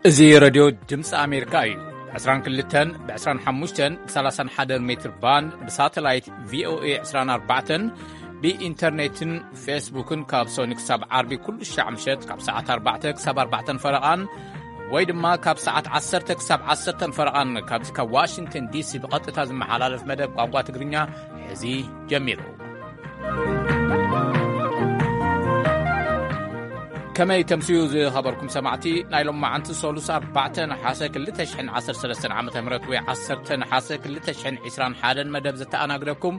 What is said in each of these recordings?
እዚ ረድዮ ድምፂ ኣሜሪካ እዩ። ብ22፣ ብ25፣ ብ31 ሜትር ባንድ፣ ብሳተላይት ቪኦኤ 24፣ ብኢንተርኔትን ፌስቡክን ካብ ሶኒ ክሳብ ዓርቢ ኩሉ ሻዕ ምሸት ካብ ሰዓት ኣርባዕተ ክሳብ ኣርባዕተን ፈረቓን፣ ወይ ድማ ካብ ሰዓት ዓሰርተ ክሳብ ዓሰርተን ፈረቓን ካብዚ ካብ ዋሽንግተን ዲሲ ብቐጥታ ዝመሓላለፍ መደብ ቋንቋ ትግርኛ ሕዚ ጀሚሩ። ከመይ ተምስዩ ዝኸበርኩም ሰማዕቲ፣ ናይ ሎማዓንቲ ሰሉስ ኣርባዕተ ነሓሰ ክልተ ሽሕን ዓሰርተ ሰለስተን ዓመተ ምህረት ወይ ዓሰርተ ነሓሰ ክልተ ሽሕን ዕስራን ሓደን መደብ ዘተኣናግደኩም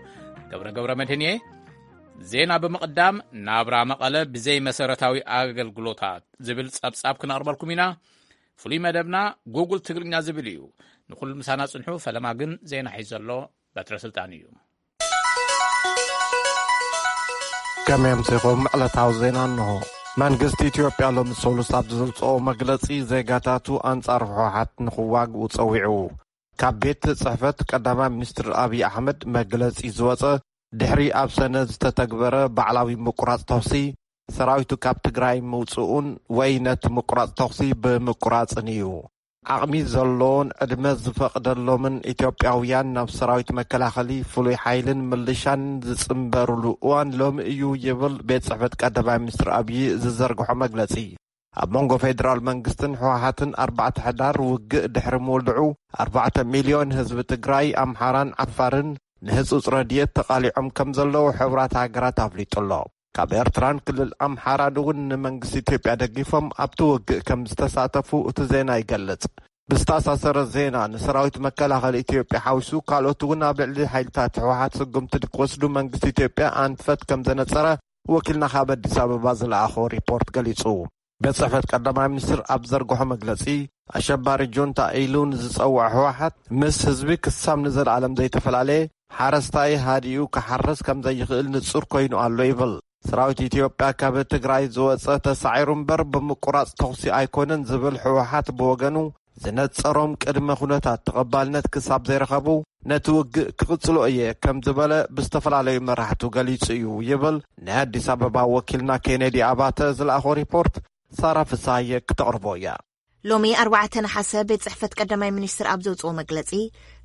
ገብረ ገብረ መድህን እየ። ዜና ብምቕዳም፣ ናብራ መቐለ ብዘይ መሰረታዊ ኣገልግሎታት ዝብል ጸብጻብ ክነቕርበልኩም ኢና። ፍሉይ መደብና ጉግል ትግርኛ ዝብል እዩ። ንኹሉ ምሳና ጽንሑ። ፈለማ ግን ዜና ሒዙ ዘሎ በትረ ስልጣን እዩ። ከመይ ኣምሲኹም? ዕለታዊ ዜና እንሆ። መንግስቲ ኢትዮጵያ ሎሚ ሰሉስ ኣብ ዘውፅኦ መግለፂ፣ ዜጋታቱ ኣንጻር ህወሓት ንኽዋግኡ ጸዊዑ። ካብ ቤት ጽሕፈት ቀዳማይ ሚኒስትር ኣብይ ኣሕመድ መግለጺ ዝወጸ፣ ድሕሪ ኣብ ሰነ ዝተተግበረ ባዕላዊ ምቁራጽ ተኹሲ፣ ሰራዊቱ ካብ ትግራይ ምውጽኡን ወይ ነቲ ምቁራጽ ተኹሲ ብምቁራጽን እዩ። ዓቕሚ ዘለዎን ዕድመ ዝፈቕደሎምን ኢትዮጵያውያን ናብ ሰራዊት መከላኸሊ፣ ፍሉይ ሓይልን ምልሻን ዝጽንበሩሉ እዋን ሎሚ እዩ ይብል ቤት ጽሕፈት ቀዳማይ ሚኒስትር ኣብይ ዝዘርግሖ መግለጺ። ኣብ መንጎ ፌደራል መንግስትን ህወሓትን ኣርባዕተ ሕዳር ውግእ ድሕሪ ምውልዑ፣ ኣርባዕተ ሚልዮን ህዝቢ ትግራይ፣ ኣምሓራን ዓፋርን ንህጹጽ ረድኤት ተቓሊዖም ከም ዘለዉ ሕቡራት ሃገራት ኣፍሊጡ ኣሎ። ካብ ኤርትራን ክልል ኣምሓራን እውን ንመንግስቲ ኢትዮጵያ ደጊፎም ኣብቲ ውግእ ከም ዝተሳተፉ እቲ ዜና ይገልጽ። ብዝተኣሳሰረ ዜና፣ ንሰራዊት መከላኸሊ ኢትዮጵያ ሓዊሱ ካልኦት እውን ኣብ ልዕሊ ሓይልታት ህወሓት ስጉምቲ ክወስዱ መንግስቲ ኢትዮጵያ ኣንፈት ከም ዘነጸረ ወኪልና ካብ ኣዲስ ኣበባ ዝለኣኾ ሪፖርት ገሊጹ። ቤት ጽሕፈት ቀዳማይ ሚኒስትር ኣብ ዘርግሖ መግለጺ፣ ኣሸባሪ ጁንታ ኢሉ ንዝጸውዖ ህወሓት፣ ምስ ህዝቢ ክሳብ ንዘለኣለም ዘይተፈላለየ፣ ሓረስታይ ሃዲኡ ክሓርስ ከም ዘይኽእል ንጹር ኮይኑ ኣሎ ይብል። ሰራዊት ኢትዮጵያ ካብ ትግራይ ዝወጸ ተሳዒሩ እምበር ብምቁራጽ ተኹሲ ኣይኮነን ዝብል ህወሓት ብወገኑ፣ ዝነጸሮም ቅድመ ኩነታት ተቐባልነት ክሳብ ዘይረኸቡ፣ ነቲ ውግእ ክቕጽሎ እየ ከም ዝበለ ብዝተፈላለዩ መራሕቱ ገሊጹ እዩ ይብል ናይ ኣዲስ ኣበባ ወኪልና ኬኔዲ ኣባተ ዝለኣኾ ሪፖርት። ሳራ ፍሳየ ክተቕርቦ እያ። ሎሚ ኣርባዕተ ነሓሰ ቤት ጽሕፈት ቀዳማይ ሚኒስትር ኣብ ዘውጽኦ መግለጺ፣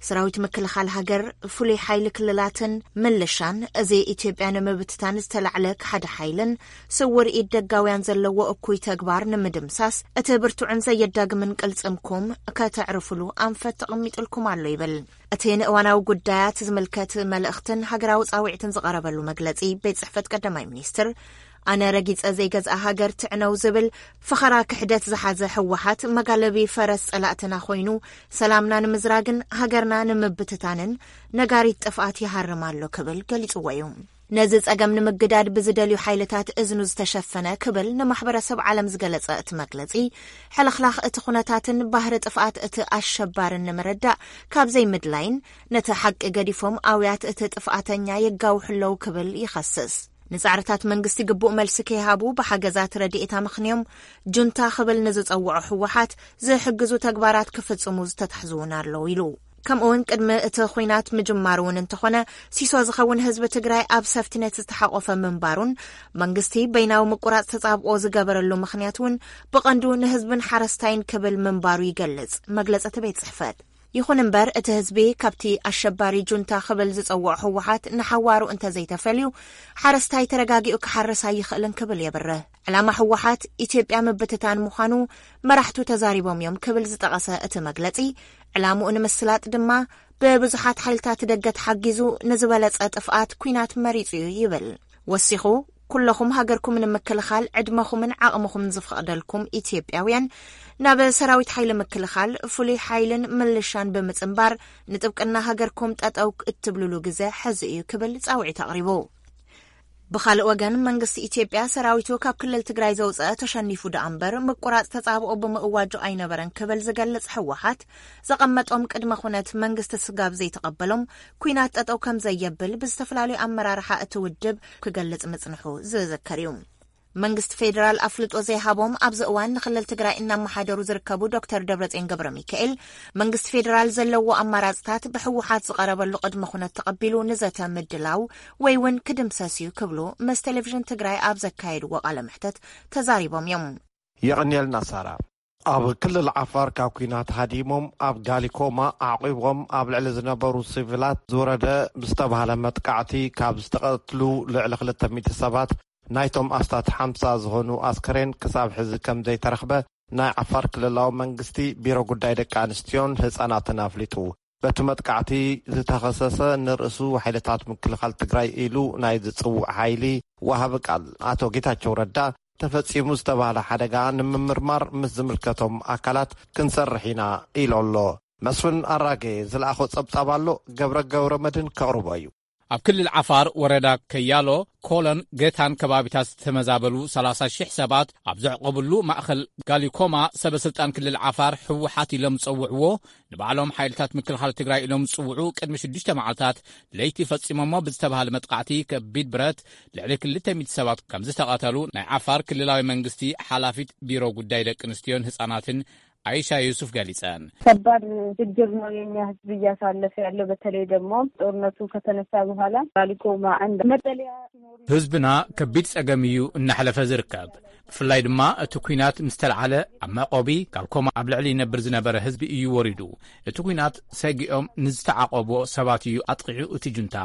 ሰራዊት ምክልኻል ሃገር፣ ፍሉይ ሓይሊ ክልላትን ምልሻን፣ እዚ ኢትዮጵያ ንምብትታን ዝተላዕለ ክሓደ ሓይልን ስውር ኢድ ደጋውያን ዘለዎ እኩይ ተግባር ንምድምሳስ፣ እቲ ብርቱዕን ዘየዳግምን ቅልጽምኩም ከተዕርፍሉ ኣንፈት ተቐሚጥልኩም ኣሎ ይብል። እቲ ንእዋናዊ ጉዳያት ዝምልከት መልእኽትን ሃገራዊ ጻውዒትን ዝቐረበሉ መግለጺ ቤት ጽሕፈት ቀዳማይ ሚኒስትር፣ ኣነ ረጊጸ ዘይገዝኣ ሃገር ትዕነው ዝብል ፈኸራ ክሕደት ዝሓዘ ህወሓት መጋለቢ ፈረስ ጸላእትና ኮይኑ፣ ሰላምና ንምዝራግን ሃገርና ንምብትታንን ነጋሪት ጥፍኣት ይሃርም ኣሎ ክብል ገሊጽዎ እዩ። ነዚ ጸገም ንምግዳድ ብዝደልዩ ሓይልታት እዝኑ ዝተሸፈነ ክብል ንማሕበረሰብ ዓለም ዝገለጸ እቲ መግለጺ፣ ሕልኽላኽ እቲ ኩነታትን ባህሪ ጥፍኣት እቲ ኣሸባርን ንምርዳእ ካብ ዘይምድላይን፣ ነቲ ሓቂ ገዲፎም ኣውያት እቲ ጥፍኣተኛ የጋውሑ ኣለዉ ክብል ይኸስስ። ንጻዕርታት መንግስቲ ግቡእ መልሲ ከይሃቡ ብሓገዛት ረድኤት ኣመኽንዮም ጁንታ ክብል ንዝጸውዖ ህወሓት ዝሕግዙ ተግባራት ክፍጽሙ ዝተታሕዙ እውን ኣለዉ ኢሉ። ከምኡውን ቅድሚ እቲ ኹናት ምጅማሩ እውን እንተኾነ፣ ሲሶ ዝኸውን ህዝቢ ትግራይ ኣብ ሰፍትነት ዝተሓቆፈ ምንባሩን መንግስቲ በይናዊ ምቁራጽ ተጻብኦ ዝገበረሉ ምኽንያት እውን ብቐንዱ ንህዝብን ሓረስታይን ክብል ምንባሩ ይገልጽ መግለጺ እቲ ቤት ጽሕፈት። ይኹን እምበር፣ እቲ ህዝቢ ካብቲ ኣሸባሪ ጁንታ ክብል ዝጸውዖ ህወሓት ንሓዋሩ እንተዘይተፈልዩ፣ ሓረስታይ ተረጋጊኡ ክሓርስ ኣይኽእልን ክብል የብርህ። ዕላማ ህወሓት ኢትዮጵያ ምብትታን ምዃኑ መራሕቱ ተዛሪቦም እዮም ክብል ዝጠቐሰ እቲ መግለጺ፣ ዕላምኡ ንምስላጥ ድማ ብብዙሓት ሓይልታት ደገ ተሓጊዙ ንዝበለጸ ጥፍኣት ኲናት መሪጹ እዩ ይብል። ወሲኹ፣ ኩለኹም ሃገርኩም ንምክልኻል ዕድመኹምን ዓቕምኹምን ዝፈቕደልኩም ኢትዮጵያውያን፣ ናብ ሰራዊት ሓይሊ ምክልኻል፣ ፍሉይ ሓይልን ምልሻን ብምጽንባር፣ ንጥብቅና ሃገርኩም ጠጠው እትብልሉ ግዘ ሕዚ እዩ ክብል ጻውዒት ኣቕሪቡ። ብኻልእ ወገን፣ መንግስቲ ኢትዮጵያ ሰራዊቱ ካብ ክልል ትግራይ ዘውፅአ ተሸኒፉ ደኣ እምበር፣ ምቁራፅ ተፃብኦ ብምእዋጁ ኣይነበረን ክብል ዝገልፅ ህወሓት፣ ዘቐመጦም ቅድመ ኩነት መንግስቲ ስጋብ ዘይተቐበሎም፣ ኲናት ጠጠው ከም ዘየብል ብዝተፈላለዩ ኣመራርሓ እቲ ውድብ ክገልጽ ምጽንሑ ዝዝከር እዩ። መንግስቲ ፌዴራል ኣፍልጦ ዘይሃቦም ኣብዚ እዋን ንክልል ትግራይ እናመሓደሩ ዝርከቡ ዶክተር ደብረጽዮን ገብረ ሚካኤል፣ መንግስቲ ፌዴራል ዘለዎ ኣማራፅታት ብህወሓት ዝቐረበሉ ቅድመ ኩነት ተቐቢሉ ንዘተ ምድላው ወይ እውን ክድምሰስ እዩ ክብሉ ምስ ቴሌቪዥን ትግራይ ኣብ ዘካየድዎ ቃለ መሕተት ተዛሪቦም እዮም። የቐንየልና ሳራ። ኣብ ክልል ዓፋር ካብ ኲናት ሃዲሞም ኣብ ጋሊኮማ ኣዕቒቦም ኣብ ልዕሊ ዝነበሩ ሲቪላት ዝወረደ ብዝተባህለ መጥቃዕቲ ካብ ዝተቐትሉ ልዕሊ ክልተ ሚእቲ ሰባት ናይቶም ኣስታት ሓምሳ ዝኾኑ ኣስከሬን ክሳብ ሕዚ ከም ዘይተረኽበ ናይ ዓፋር ክልላዊ መንግስቲ ቢሮ ጉዳይ ደቂ ኣንስትዮን ህፃናትን ኣፍሊጡ። በቲ መጥቃዕቲ ዝተኸሰሰ ንርእሱ ሓይልታት ምክልኻል ትግራይ ኢሉ ናይ ዝፅውዕ ሓይሊ ወሃቢ ቃል ኣቶ ጌታቸው ረዳ ተፈፂሙ ዝተባህለ ሓደጋ ንምምርማር ምስ ዝምልከቶም ኣካላት ክንሰርሕ ኢና ኢሉ ኣሎ። መስፍን ኣራጌ ዝለኣኾ ፀብፃብ ኣሎ፣ ገብረ ገብረ መድህን ከቕርቦ እዩ። ኣብ ክልል ዓፋር ወረዳ ከያሎ፣ ኮሎን፣ ገታን ከባቢታት ዝተመዛበሉ ሰላሳ ሽሕ ሰባት ኣብ ዘዕቆብሉ ማእኸል ጋሊኮማ፣ ሰበ ስልጣን ክልል ዓፋር ህወሓት ኢሎም ዝፀውዕዎ፣ ንባዕሎም ሓይልታት ምክልኻል ትግራይ ኢሎም ዝፅውዑ፣ ቅድሚ ሽዱሽተ መዓልታት ለይቲ ፈፂሞሞ ብዝተባሃለ መጥቃዕቲ ከቢድ ብረት ልዕሊ ክልተ ሚእቲ ሰባት ከም ዝተቐተሉ ናይ ዓፋር ክልላዊ መንግስቲ ሓላፊት ቢሮ ጉዳይ ደቂ ኣንስትዮን ህፃናትን ኣይሻ ዩሱፍ ገሊጸን። ከባድ ችግር ነው የኛ ህዝብ እያሳለፈ ያለው። በተለይ ደግሞ ጦርነቱ ከተነሳ በኋላ ባሊኮማ አንድ መጠለያ ሲኖሩ ህዝብና ከቢድ ጸገም እዩ እናሕለፈ ዝርከብ። ብፍላይ ድማ እቲ ኲናት ምስ ተልዓለ ኣብ መዕቆቢ ጋሊኮማ ኣብ ልዕሊ ይነብር ዝነበረ ህዝቢ እዩ ወሪዱ። እቲ ኲናት ሰጊኦም ንዝተዓቆቦ ሰባት እዩ ኣጥቒዑ እቲ ጁንታ።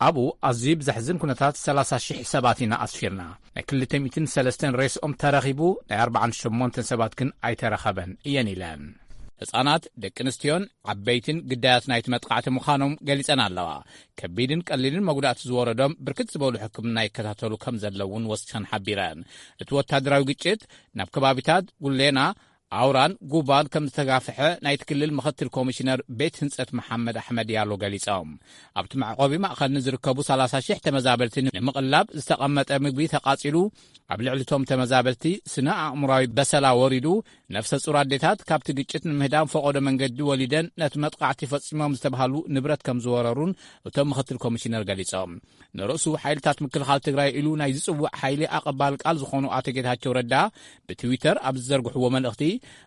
ኣብኡ ኣዝዩ ብዘሕዝን ኩነታት ሰላሳ ሽሕ ሰባት ኢና ኣስፊርና። ናይ ክልተ ሚእትን ሰለስተን ሬስኦም ተረኺቡ፣ ናይ ኣርባዓን ሸሞንተን ሰባት ግን ኣይተረኸበን እየን ኢለን። ህጻናት፣ ደቂ ኣንስትዮን ዓበይትን ግዳያት ናይቲ መጥቃዕቲ ምዃኖም ገሊጸን ኣለዋ። ከቢድን ቀሊልን መጉዳእቲ ዝወረዶም ብርክት ዝበሉ ሕክምና ይከታተሉ ከም ዘለውን ወሲኸን ሓቢረን። እቲ ወታደራዊ ግጭት ናብ ከባቢታት ጉሌና፣ ኣውራን ጉባን ከም ዝተጋፍሐ ናይቲ ክልል ምኽትል ኮሚሽነር ቤት ህንጸት መሓመድ ኣሕመድ ያሎ ገሊጾም። ኣብቲ መዕቆቢ ማእኸል ንዝርከቡ ሰላሳ ሽሕ ተመዛበልቲ ንምቕላብ ዝተቐመጠ ምግቢ ተቓጺሉ፣ ኣብ ልዕሊ እቶም ተመዛበልቲ ስነ ኣእምራዊ በሰላ ወሪዱ፣ ነፍሰ ጹር ኣዴታት ካብቲ ግጭት ንምህዳም ፈቐዶ መንገዲ ወሊደን ነቲ መጥቓዕቲ ፈጺሞም ዝተባህሉ ንብረት ከም ዝወረሩን እቶም ምኽትል ኮሚሽነር ገሊጾም። ንርእሱ ሓይልታት ምክልኻል ትግራይ ኢሉ ናይ ዝጽውዕ ሓይሊ ኣቐባል ቃል ዝኾኑ ኣቶ ጌታቸው ረዳ ብትዊተር ኣብ ዝዘርግሕዎ መልእኽቲ፣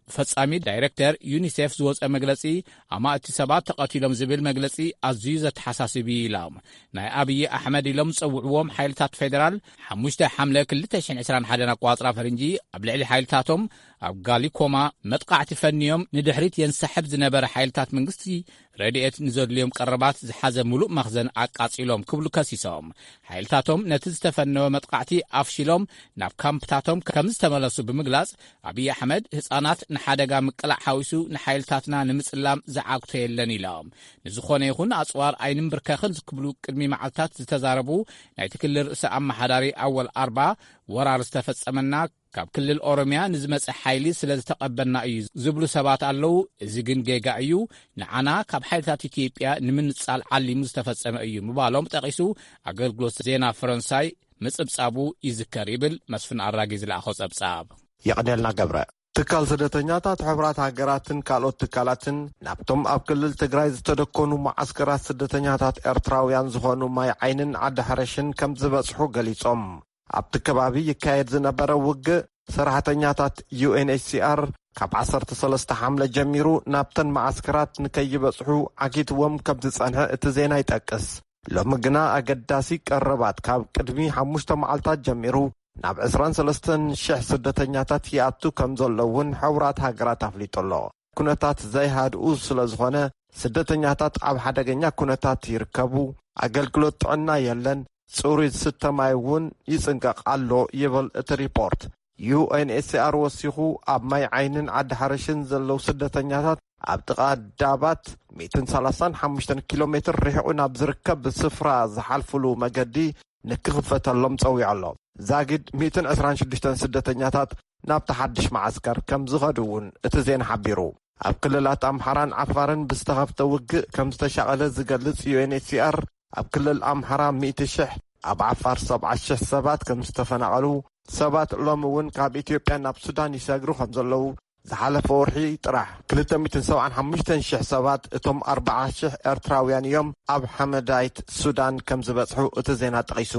ብፈጻሚ ዳይሬክተር ዩኒሴፍ ዝወጸ መግለጺ፣ ኣማእቲ ሰባት ተቐቲሎም ዝብል መግለጺ ኣዝዩ ዘተሓሳስብ እዩ ኢሎም። ናይ ኣብዪ ኣሕመድ ኢሎም ዝጸውዕዎም ሓይልታት ፌደራል ሓሙሽተ ሓምለ ክልተ ሽሕን ዕስራን ሓደን ኣቋጽራ ፈረንጂ ኣብ ልዕሊ ሓይልታቶም ኣብ ጋሊኮማ መጥቃዕቲ ፈንዮም ንድሕሪት የንሳሕብ ዝነበረ ሓይልታት መንግስቲ ረድኤት ንዘድልዮም ቀረባት ዝሓዘ ምሉእ መኽዘን ኣቃጺሎም ክብሉ ከሲሶም። ሓይልታቶም ነቲ ዝተፈነወ መጥቃዕቲ ኣፍሺሎም ናብ ካምፕታቶም ከም ዝተመለሱ ብምግላጽ፣ ኣብዪ ኣሕመድ ህጻናት ንሓደጋ ምቅላዕ ሓዊሱ ንሓይልታትና ንምጽላም ዝዓግቶ የለን ኢሎም። ንዝኾነ ይኹን ኣጽዋር ኣይንንብርከኽን ክብሉ ቅድሚ መዓልታት ዝተዛረቡ ናይቲ ክልል ርእሰ ኣመሓዳሪ ኣወል ኣርባ፣ ወራር ዝተፈጸመና ካብ ክልል ኦሮሚያ ንዝመጸ ሓይሊ ስለ ዝተቐበልና እዩ ዝብሉ ሰባት ኣለዉ። እዚ ግን ጌጋ እዩ። ንዓና ካብ ሓይልታት ኢትዮጵያ ንምንጻል ዓሊሙ ዝተፈጸመ እዩ ምባሎም ጠቒሱ ኣገልግሎት ዜና ፈረንሳይ ምጽብጻቡ ይዝከር ይብል መስፍን ኣራጊ ዝለኣኾ ጸብጻብ። የቐንየልና ገብረ። ትካል ስደተኛታት ሕቡራት ሃገራትን ካልኦት ትካላትን ናብቶም ኣብ ክልል ትግራይ ዝተደኮኑ መዓስከራት ስደተኛታት ኤርትራውያን ዝኾኑ ማይ ዓይንን ዓዲ ሓረሽን ከም ዝበጽሑ ገሊጾም። ኣብቲ ከባቢ ይካየድ ዝነበረ ውግእ ሰራሕተኛታት ዩ ኤን ኤች ሲ ኣር ካብ ዓሰርተ ሰለስተ ሓምለ ጀሚሩ ናብተን መዓስከራት ንከይበጽሑ ዓጊትዎም ከም ዝጸንሐ እቲ ዜና ይጠቅስ። ሎሚ ግና ኣገዳሲ ቀረባት ካብ ቅድሚ ሓሙሽተ መዓልታት ጀሚሩ ናብ ዕስራን ሰለስተን ሽሕ ስደተኛታት ይኣቱ ከም ዘሎ እውን ሕቡራት ሃገራት ኣፍሊጡ ኣሎ። ኩነታት ዘይሃድኡ ስለ ዝኾነ ስደተኛታት ኣብ ሓደገኛ ኩነታት ይርከቡ። ኣገልግሎት ጥዕና የለን። ጽሩይ ዝስተ ማይ እውን ይጽንቀቕ ኣሎ ይብል እቲ ሪፖርት። ዩ ኤን ኤች ሲ ኣር ወሲኹ ኣብ ማይ ዓይንን ዓዲ ሓረሽን ዘለዉ ስደተኛታት ኣብ ጥቓ ዳባት ሚእትን ሰላሳን ሓሙሽተን ኪሎ ሜትር ርሒቑ ናብ ዝርከብ ስፍራ ዝሓልፍሉ መገዲ ንክኽፈተሎም ጸዊዑ ኣሎ። ዛጊድ ሚእትን ዕስራን ሽዱሽተን ስደተኛታት ናብቲ ሓድሽ መዓስከር ከም ዝኸዱ እውን እቲ ዜና ሓቢሩ። ኣብ ክልላት ኣምሓራን ዓፋርን ብዝተኸፍተ ውግእ ከም ዝተሻቐለ ዝገልጽ ዩ ኤን ኤች ሲ ኣር፣ ኣብ ክልል ኣምሓራ ሚእቲ ሽሕ፣ ኣብ ዓፋር ሰብዓ ሽሕ ሰባት ከም ዝተፈናቐሉ፣ ሰባት ሎሚ እውን ካብ ኢትዮጵያ ናብ ሱዳን ይሰግሩ ከም ዘለዉ፣ ዝሓለፈ ወርሒ ጥራሕ ክልተ ሚእትን ሰብዓን ሓሙሽተን ሽሕ ሰባት፣ እቶም ኣርብዓ ሽሕ ኤርትራውያን እዮም፣ ኣብ ሓመዳይት ሱዳን ከም ዝበጽሑ እቲ ዜና ጠቒሱ።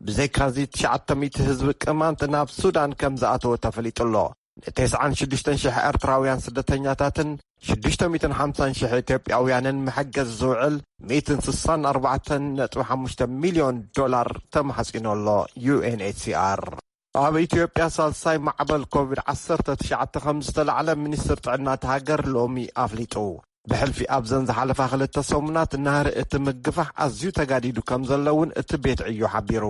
ብዘይካዚ ትሽዓተ ሚእቲ ህዝቢ ቅማንት ናብ ሱዳን ከም ዝኣተወ ተፈሊጡ ኣሎ። ን ተስዓን ሽዱሽተን ሽሕ ኤርትራውያን ስደተኛታትን ሽዱሽተ ሚእትን ሓምሳን ሽሕ ኢትዮጵያውያንን መሐገዚ ዝውዕል ሚእትን ስሳን ኣርባዕተን ነጥቢ ሓሙሽተ ሚልዮን ዶላር ተማሕጺኑ ኣሎ። ዩ ኤን ኤች ሲ ኣር ኣብ ኢትዮጵያ ሳልሳይ ማዕበል ኮቪድ ዓሰርተ ትሽዓተ ከም ዝተላዕለ ሚኒስትር ጥዕና እቲ ሃገር ሎሚ ኣፍሊጡ። ብሕልፊ ኣብዘን ዝሓለፋ ክልተ ሰሙናት ናህሪ እቲ ምግፋሕ ኣዝዩ ተጋዲዱ ከም ዘሎ እውን እቲ ቤት ዕዮ ሓቢሩ።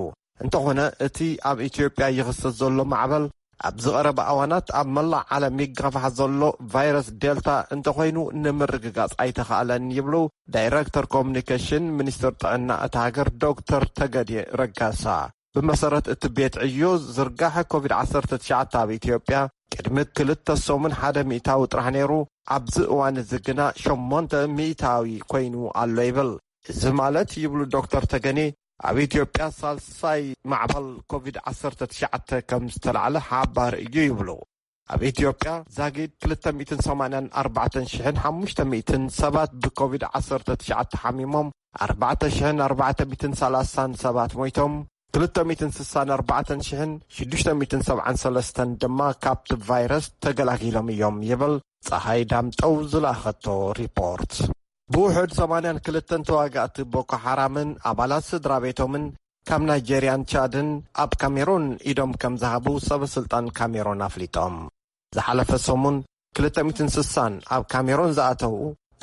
እንተኾነ እቲ ኣብ ኢትዮጵያ ይኽሰት ዘሎ ማዕበል ኣብዚ ቀረባ እዋናት ኣብ መላእ ዓለም ይጋፋሕ ዘሎ ቫይረስ ዴልታ እንተኾይኑ ንምርግጋጽ ኣይተኻእለን ይብሉ ዳይረክተር ኮሙኒኬሽን ሚኒስትር ጥዕና እቲ ሃገር ዶክተር ተገዴ ረጋሳ። ብመሰረት እቲ ቤት ዕዮ ዝርጋሐ ኮቪድ ዓሰርተ ትሽዓተ ኣብ ኢትዮጵያ ቅድሚ ክልተ ሰሙን ሓደ ሚእታዊ ጥራሕ ነይሩ፣ ኣብዚ እዋን እዚ ግና ሸሞንተ ሚእታዊ ኮይኑ ኣሎ ይብል። እዚ ማለት ይብሉ ዶክተር ተገኔ ኣብ ኢትዮጵያ ሳልሳይ ማዕበል ኮቪድ ዓሰርተ ትሽዓተ ከም ዝተላዕለ ሓባር እዩ ይብሉ። ኣብ ኢትዮጵያ ዛጊድ ክልተ ሚእትን ሰማንያን ኣርባዕተን ሽሕን ሓሙሽተ ሚእትን ሰባት ብኮቪድ ዓሰርተ ትሽዓተ ሓሚሞም ኣርባዕተ ሽሕን ኣርባዕተ ሚእትን ሰላሳን ሰባት ሞይቶም ክልተ ሚእትን ስሳን ኣርባዕተን ሽሕን ሽዱሽተ ሚእትን ሰብዓን ሰለስተን ድማ ካብቲ ቫይረስ ተገላጊሎም እዮም ይብል ጸሃይ ዳምጠው ዝለኣኸቶ ሪፖርት። ብውሑድ ሰማንያን ክልተን ተዋጋእቲ ቦኮ ሓራምን ኣባላት ስድራ ቤቶምን ካብ ናይጄርያን ቻድን ኣብ ካሜሮን ኢዶም ከም ዝሃቡ ሰበ ስልጣን ካሜሮን ኣፍሊጦም። ዝሓለፈ ሰሙን ክልተ ሚእትን ስሳን ኣብ ካሜሮን ዝኣተዉ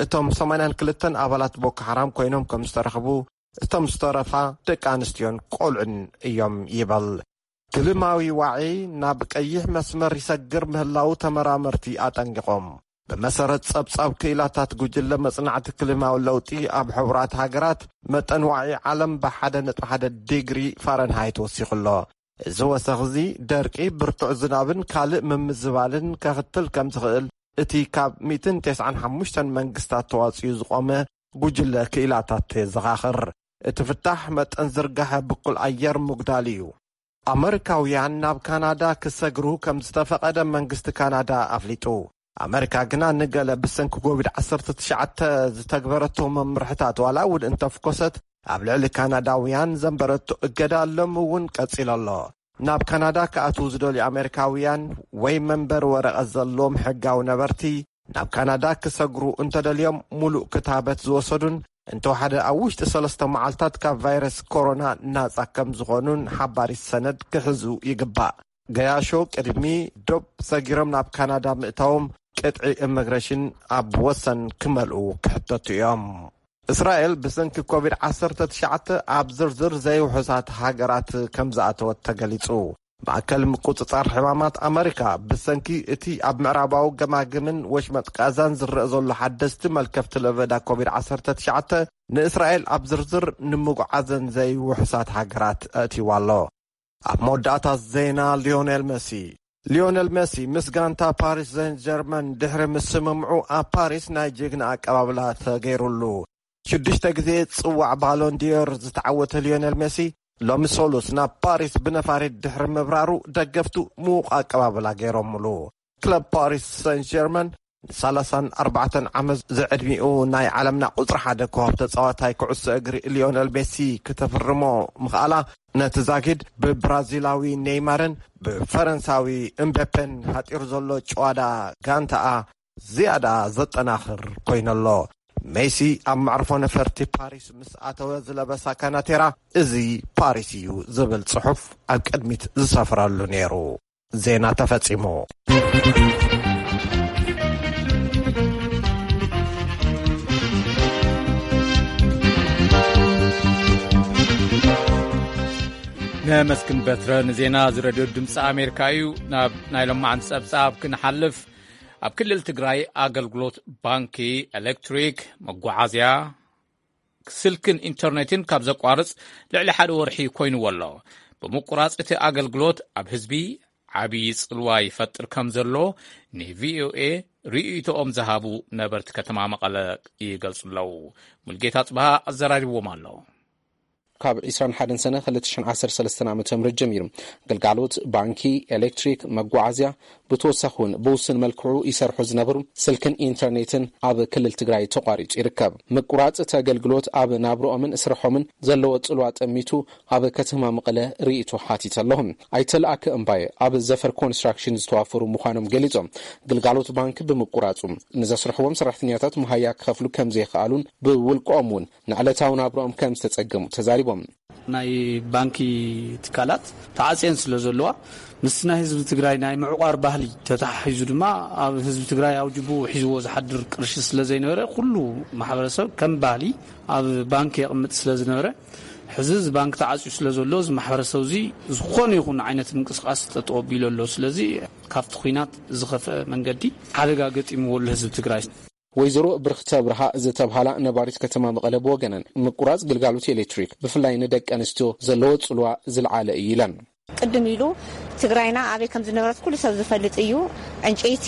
እቶም ሰማንያን ክልተን ኣባላት ቦኮ ሓራም ኮይኖም ከም ዝተረኽቡ፣ እቶም ዝተረፋ ደቂ ኣንስትዮን ቆልዑን እዮም ይበል። ክልማዊ ዋዒ ናብ ቀይሕ መስመር ይሰግር ምህላዉ ተመራመርቲ ኣጠንቂቖም። ብመሰረት ጸብጻብ ክኢላታት ጉጅለ መጽናዕቲ ክልማዊ ለውጢ ኣብ ሕቡራት ሃገራት፣ መጠን ዋዒ ዓለም ብሓደ ነጥቢ ሓደ ዲግሪ ፋረንሃይት ወሲኹ ኣሎ። እዚ ወሰኽ እዚ ደርቂ፣ ብርቱዕ ዝናብን ካልእ ምምዝባልን ከኽትል ከም ዝኽእል እቲ ካብ ሚእትን ተስዓን ሓሙሽተን መንግስታት ተዋጽዩ ዝቖመ ጉጅለ ክኢላታት የዘኻኽር። እቲ ፍታሕ መጠን ዝርጋሐ ብኩል ኣየር ምጉዳል እዩ። ኣመሪካውያን ናብ ካናዳ ክሰግሩ ከም ዝተፈቐደ መንግስቲ ካናዳ ኣፍሊጡ። ኣመሪካ ግና ንገለ ብሰንኪ ኮቪድ ዓሰርተ ትሽዓተ ዝተግበረቶ መምርሕታት ዋላ እውን እንተፍኮሰት፣ ኣብ ልዕሊ ካናዳውያን ዘንበረቶ እገዳ ሎም እውን ቀጺሉ ኣሎ። ናብ ካናዳ ክኣትዉ ዝደልዩ ኣመሪካውያን ወይ መንበሪ ወረቐት ዘለዎም ሕጋዊ ነበርቲ፣ ናብ ካናዳ ክሰግሩ እንተደልዮም፣ ሙሉእ ክታበት ዝወሰዱን እንተወሓደ ኣብ ውሽጢ ሰለስተ መዓልታት ካብ ቫይረስ ኮሮና ናጻ ከም ዝኾኑን ሓባሪት ሰነድ ክሕዙ ይግባእ። ገያሾ ቅድሚ ዶብ ሰጊሮም ናብ ካናዳ ምእታዎም ቅጥዒ ኢሚግሬሽን ኣብ ወሰን ክመልኡ ክሕተቱ እዮም። እስራኤል ብሰንኪ ኮቪድ ዓሰርተ ትሽዓተ ኣብ ዝርዝር ዘይውሑሳት ሃገራት ከም ዝኣተወት ተገሊጹ። ማእከል ምቁጽጻር ሕማማት ኣመሪካ ብሰንኪ እቲ ኣብ ምዕራባዊ ገማግምን ወሽመጥ ቃዛን ዝረአ ዘሎ ሓደስቲ መልከፍቲ ለበዳ ኮቪድ ዓሰርተ ትሽዓተ ንእስራኤል ኣብ ዝርዝር ንምጉዓዘን ዘይውሑሳት ሃገራት ኣእትይዋ ኣሎ። ኣብ መወዳእታ ዜና ሊዮኔል መሲ። ሊዮኔል መሲ ምስ ጋንታ ፓሪስ ሴንት ጀርመን ድሕሪ ምስምምዑ ኣብ ፓሪስ ናይ ጅግና ኣቀባብላ ተገይሩሉ። ሽዱሽተ ግዜ ጽዋዕ ባሎን ዲዮር ዝተዓወተ ሊዮኔል ሜሲ ሎሚ ሰሉስ ናብ ፓሪስ ብነፋሪት ድሕሪ ምብራሩ ደገፍቱ ምዉቕ ኣቀባብላ ገይሮምሉ። ክለብ ፓሪስ ሰን ጀርመን ንሰላሳን ኣርባዕተን ዓመት ዝዕድሚኡ ናይ ዓለምና ቁጽሪ ሓደ ኮኸብ ተጻዋታይ ኩዕሶ እግሪ ሊዮነል ሜሲ ክተፍርሞ ምኽኣላ ነቲ ዛጊድ ብብራዚላዊ ኔይማርን ብፈረንሳዊ እምቤፔን ሃጢሩ ዘሎ ጭዋዳ ጋንታኣ ዝያዳ ዘጠናኽር ኮይነሎ። ሜሲ ኣብ መዕርፎ ነፈርቲ ፓሪስ ምስ ኣተወ ዝለበሳ ካናቴራ፣ "እዚ ፓሪስ እዩ" ዝብል ጽሑፍ ኣብ ቅድሚት ዝሰፍረሉ ነይሩ። ዜና ተፈጺሙ። ነመስግን በትረ ንዜና እዚ ሬድዮ ድምፂ ኣሜሪካ እዩ። ናብ ናይ ሎማዓንቲ ጸብጻብ ክንሓልፍ፣ ኣብ ክልል ትግራይ ኣገልግሎት ባንኪ፣ ኤሌክትሪክ፣ መጓዓዝያ፣ ስልክን ኢንተርኔትን ካብ ዘቋርጽ ልዕሊ ሓደ ወርሒ ኮይንዎ ኣሎ። ብምቁራጽ እቲ ኣገልግሎት ኣብ ህዝቢ ዓብዪ ጽልዋ ይፈጥር ከም ዘሎ ንቪኦኤ ርእይቶኦም ዝሃቡ ነበርቲ ከተማ መቐለ ይገልጹ ኣለዉ። ሙልጌታ ጽብሃ ኣዘራሪብዎም ኣሎ። ካብ ዕስራን ሓደን ሰነ ክልተ ሽሕን ዓሰርተ ሰለስተን ዓመተ ምህረት ጀሚሩ፣ ግልጋሎት ባንኪ፣ ኤሌክትሪክ፣ መጓዓዝያ፣ ብተወሳኺ እውን ብውሱን መልክዑ ይሰርሑ ዝነበሩ ስልክን ኢንተርኔትን ኣብ ክልል ትግራይ ተቋሪጹ ይርከብ። ምቁራጽ እቲ ኣገልግሎት ኣብ ናብርኦምን ስርሖምን ዘለዎ ጽልዋ ጠሚቱ ኣብ ከተማ መቐለ ርእይቶ ሓቲተ ኣለኹ። ኣይተለኣከ እምባየ ኣብ ዘፈር ኮንስትራክሽን ዝተዋፈሩ ምዃኖም ገሊጾም፣ ግልጋሎት ባንክ ብምቁራጹ ንዘስርሕዎም ሰራሕተኛታት መሃያ ክኸፍሉ ከም ዘይከኣሉን ብውልቆኦም እውን ንዕለታዊ ናብርኦም ከም ዝተጸገሙ ተዛሪቦም። ናይ ባንኪ ትካላት ተዓጽየን ስለ ዘለዋ፣ ምስቲ ናይ ህዝቢ ትግራይ ናይ ምዕቋር ባህሊ ተተሓሒዙ ድማ ኣብ ህዝቢ ትግራይ ኣውጅቡ ሒዝዎ ዝሓድር ቅርሺ ስለ ዘይነበረ፣ ኩሉ ማሕበረሰብ ከም ባህሊ ኣብ ባንክ የቕምጥ ስለ ዝነበረ፣ ሕዚ እዚ ባንክ ተዓጽዩ ስለ ዘሎ፣ እዚ ማሕበረሰብ እዚ ዝኾነ ይኹን ዓይነት ምንቅስቃስ ጠጠው ኣቢሉ ኣሎ። ስለዚ ካብቲ ኲናት ዝኸፍአ መንገዲ ሓደጋ ገጢምዎ ኣሎ ህዝቢ ትግራይ። ወይዘሮ ብርኽተ ብርሃ ዝተብሃላ ነባሪት ከተማ መቐለ ብወገነን፣ ምቁራጽ ግልጋሎት ኤሌክትሪክ ብፍላይ ንደቂ ኣንስትዮ ዘለዎ ጽልዋ ዝለዓለ እዩ ኢለን። ቅድም ኢሉ ትግራይና ኣበይ ከም ዝነበረት ኩሉ ሰብ ዝፈልጥ እዩ። ዕንጨይቲ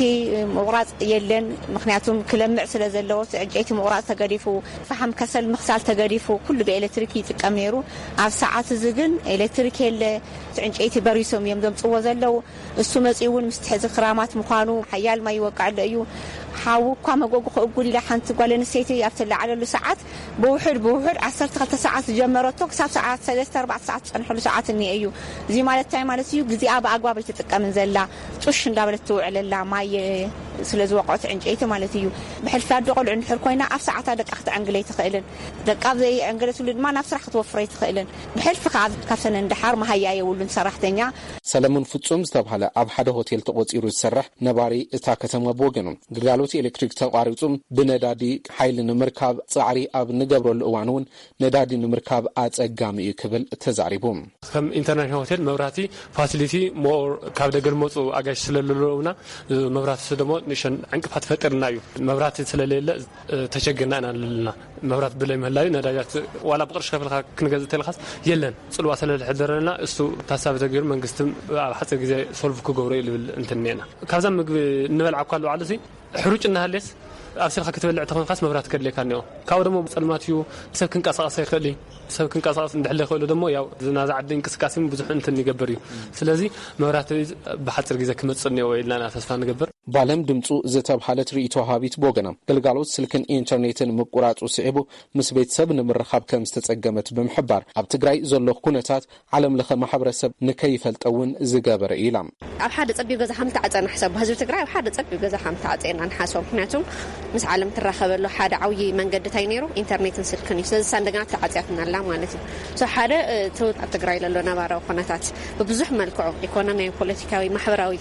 ምቑራጽ የለን፣ ምኽንያቱም ክለምዕ ስለ ዘለዎ እቲ ዕንጨይቲ ምቑራጽ ተገዲፉ፣ ፈሓም ከሰል ምኽሳል ተገዲፉ፣ ኩሉ ብኤሌክትሪክ ይጥቀም ነይሩ። ኣብ ሰዓት እዚ ግን ኤሌክትሪክ የለ፣ እቲ ዕንጨይቲ በሪሶም እዮም ዘምጽዎ ዘለዉ። እሱ መጺኡ እውን ምስቲ ሕዚ ክራማት ምዃኑ ሓያል ማይ ይወቅዐሉ እዩ። ሓዊ እኳ መጎጉ ክእጉድ ኢላ ሓንቲ ጓል ኣንስተይቲ ኣብ ትለዓለሉ ሰዓት ብውሑድ ብውሑድ ዓሰርተ ክልተ ሰዓት ዝጀመረቶ ክሳብ ሰዓት ሰለስተ ኣርባዕተ ሰዓት ዝጸንሐሉ ሰዓት እኒአ እዩ። እዚ ማለት እንታይ ማለት እዩ? ግዜኣ ብኣግባብ ኣይትጥቀምን ዘላ፣ ጡሽ እንዳበለት ትውዕለላ ማይ ስለ ዝወቅዖት ዕንጨይቲ ማለት እዩ። ብሕልፊ ኣደ ቆልዑ እንድሕር ኮይና ኣብ ሰዓታ ደቃ ክትዕንግል ኣይትኽእልን። ደቃ ኣብ ዘይዕንገለትሉ ድማ ናብ ስራሕ ክትወፍር ኣይትኽእልን። ብሕልፊ ከዓ ካብተን እንድሓር መሃያ የብሉን ሰራሕተኛ። ሰለሙን ፍጹም ዝተባህለ ኣብ ሓደ ሆቴል ተቖጺሩ ዝሰርሕ ነባሪ እታ ከተማ ብወገኑ፣ ግልጋሎት ኤሌክትሪክ ተቋሪጹ ብነዳዲ ሓይሊ ንምርካብ ጻዕሪ ኣብ ንገብረሉ እዋን እውን ነዳዲ ንምርካብ ኣጸጋሚ እዩ ክብል ተዛሪቡ። ከም ኢንተርናሽናል ሆቴል መብራህቲ ፋሲሊቲ ሞር ካብ ደገ ዝመፁ ኣጋይሽ ስለለለውና መብራህቲ ደሞ ንእሽተን ዕንቅፋት ፈጢርና እዩ። መብራህቲ ስለሌለ ተቸግርና ኢና ኣለና። መብራት ብለይ ምህላዩ ነዳጃት ዋላ ብቅርሺ ከፍልካ ክንገዝእ ተልካስ የለን። ጽልዋ ስለዝሕደረና እሱ ታሳቢ ተገይሩ መንግስቲ ኣብ ሓፂር ግዜ ሶልቭ ክገብሮ እዩ ልብል እንትን እኒአና። ካብዛ ምግቢ እንበልዓ እኳ ኣለባዕሉ ሲ ሕሩጭ እናሃልየስ ኣብሲልካ ክትበልዕ ተኾንካስ መብራት ከድልየካ እኒኦ። ካብኡ ደሞ ጸልማት እዩ። ሰብ ክንቀሳቐስ ኣይኽእል እዩ። ሰብ ክንቀሳቐስ እንድሕለ ይኽእሉ ደሞ ያው ናዛ ዓዲ እንቅስቃሴ ብዙሕ እንትን ይገብር እዩ። ስለዚ መብራት ብሓፂር ግዜ ክመፅእ እኒኦ ኢልና ኢና ተስፋ ንገብር። ባለም ድምፁ ዝተብሃለት ርእይቶ ሃቢት ብወገና ግልጋሎት ስልክን ኢንተርኔትን ምቁራፁ ስዒቡ ምስ ቤተሰብ ንምርኻብ ከም ዝተጸገመት ብምሕባር፣ ኣብ ትግራይ ዘሎ ኩነታት ዓለም ለኸ ማሕበረሰብ ንከይፈልጠ እውን ዝገበረ እዩ ኢላ። ኣብ ሓደ ጸቢብ ገዛ ከም ተዓጸና ሕሰብ፣ ህዝቢ ትግራይ ኣብ ሓደ ጸቢብ ገዛ ከም ተዓጸና ንሓስቦ። ምክንያቱ ምስ ዓለም ትራኸበሉ ሓደ ዓብዪ መንገዲ እንታይ ነይሩ? ኢንተርኔትን ስልክን እዩ። ስለዚ እሳ እንደገና ተዓጽያትና ኣላ ማለት እዩ። So ሓደ፣ እ፣ እቲ ኣብ ትግራይ ዘሎ ነባራዊ ኩነታት ብብዙሕ መልክዑ፣ ኢኮኖሚያዊ፣ ፖለቲካዊ፣ ማሕበራዊ